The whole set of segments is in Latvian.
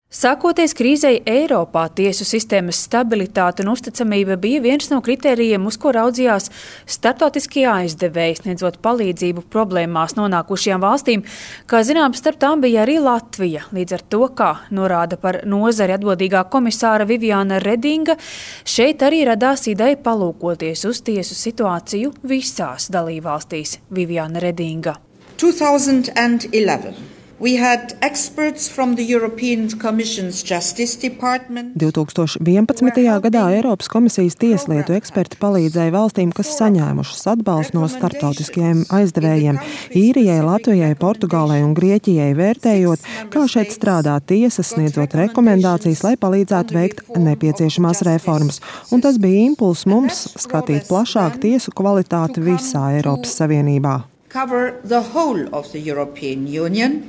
Sākoties krīzei Eiropā, tiesu sistēmas stabilitāte un uzticamība bija viens no kritērijiem, uz ko raudzījās starptautiskie aizdevēji, sniedzot palīdzību problēmās nonākušajām valstīm. Kā zināms, starp tām bija arī Latvija. Līdz ar to, kā norāda par nozari atbildīgā komisāra Viviāna Redinga, šeit arī radās ideja palūkoties uz tiesu situāciju visās dalībvalstīs. Viviāna Redinga. 2011. We had experts from the European Commission's Justice Department. 2011. gadā Eiropas komisijas tieslietu eksperti palīdzēja valstīm, kas saņēmušas atbalstu no starptautiskajiem aizdevējiem – Īrijai, Latvijai, Portugālei un Grieķijai, vērtējot, kā šeit strādā tiesas, sniedzot rekomendācijas, lai palīdzētu veikt nepieciešamās reformas. Un tas bija impulss mums skatīt plašāk tiesu kvalitāti visā Eiropas Savienībā. Cover the whole of the European Union.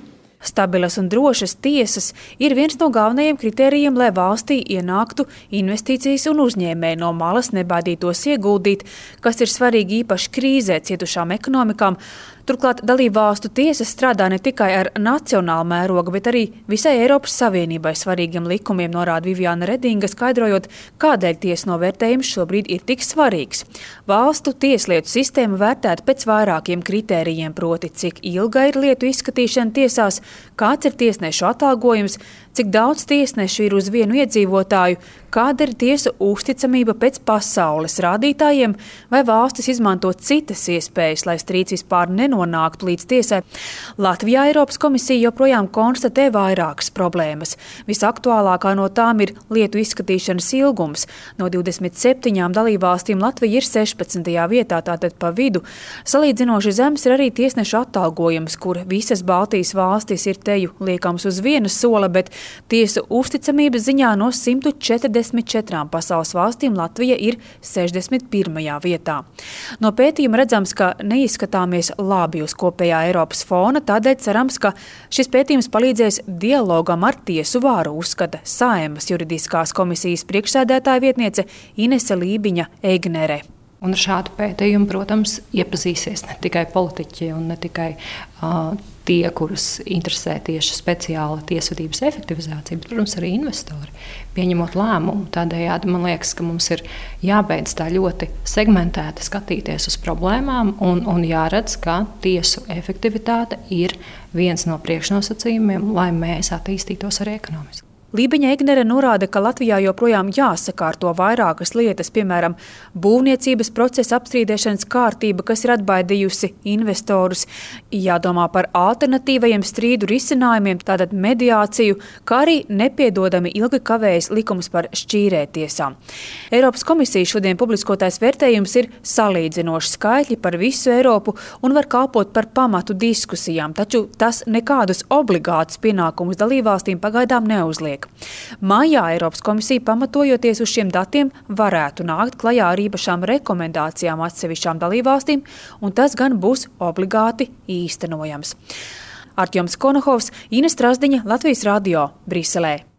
Stabilas un drošas tiesas ir viens no galvenajiem kritērijiem, lai valstī ienāktu investīcijas un uzņēmēji no malas nebaidītos ieguldīt, kas ir svarīgi īpaši krīzē cietušām ekonomikām. Turklāt dalībvalstu tiesas strādā ne tikai ar nacionālu mērogu, bet arī visai Eiropas Savienībai svarīgiem likumiem, norāda Viviāna Redinga, skaidrojot, kādēļ tiesu novērtējums šobrīd ir tik svarīgs. Valstu tieslietu sistēma vērtēta pēc vairākiem kritērijiem, proti, cik ilga ir lietu izskatīšana tiesās, kāds ir tiesnešu atalgojums, cik daudz tiesnešu ir uz vienu iedzīvotāju, kāda ir tiesu uzticamība pēc pasaules rādītājiem, vai valstis izmanto citas iespējas, lai strīds vispār nenonāktu līdz tiesai. Latvijā Eiropas komisija joprojām konstatē vairākas problēmas. Visaktuālākā no tām ir lietu izskatīšanas ilgums. No 27 dalībvalstīm Latvija ir 16. vietā, tātad pa vidu. Salīdzinoši zems ir arī tiesnešu atalgojums, kur visas Baltijas valstis ir teju liekams uz viena sola, bet tiesu uzticamības ziņā no 144 pasaules valstīm Latvija ir 61. vietā. No pētījuma redzams, ka neizskatāmies labi uz kopējā Eiropas fona, tādēļ cerams, ka šis pētījums palīdzēs dialogam ar tiesu vāru, uzskata Saeimas juridiskās komisijas priekšsēdētāja vietniece Inese Lībiņa-Eignere. Un ar šādu pētījumu, protams, iepazīsies ne tikai politiķi un ne tikai tie, kurus interesē tieši speciāla tiesvedības efektivizācija, bet, protams, arī investori, pieņemot lēmumu. Tādējādi man liekas, ka mums ir jābeidz tā ļoti segmentēti skatīties uz problēmām un jāredz, ka tiesu efektivitāte ir viens no priekšnosacījumiem, lai mēs attīstītos arī ekonomiski. Lībiņa-Eignere norāda, ka Latvijā joprojām jāsakārto vairākas lietas, piemēram, būvniecības procesa apstrīdēšanas kārtība, kas ir atbaidījusi investorus, jādomā par alternatīvajiem strīdu risinājumiem, tātad mediāciju, kā arī nepiedodami ilgi kavējas likums par šķīrētiesām. Eiropas komisija šodien publiskotais vērtējums ir salīdzinoši skaitļi par visu Eiropu un var kalpot par pamatu diskusijām, taču tas nekādus obligātus pienākumus dalībvalstīm pagaidām neuzliek. Maijā Eiropas komisija, pamatojoties uz šiem datiem, varētu nākt klajā ar īpašām rekomendācijām atsevišķām dalībvalstīm, un tas gan būs obligāti īstenojams. Artjoms Konohovs, Ines Trasdiņa, Latvijas radio, Briselē.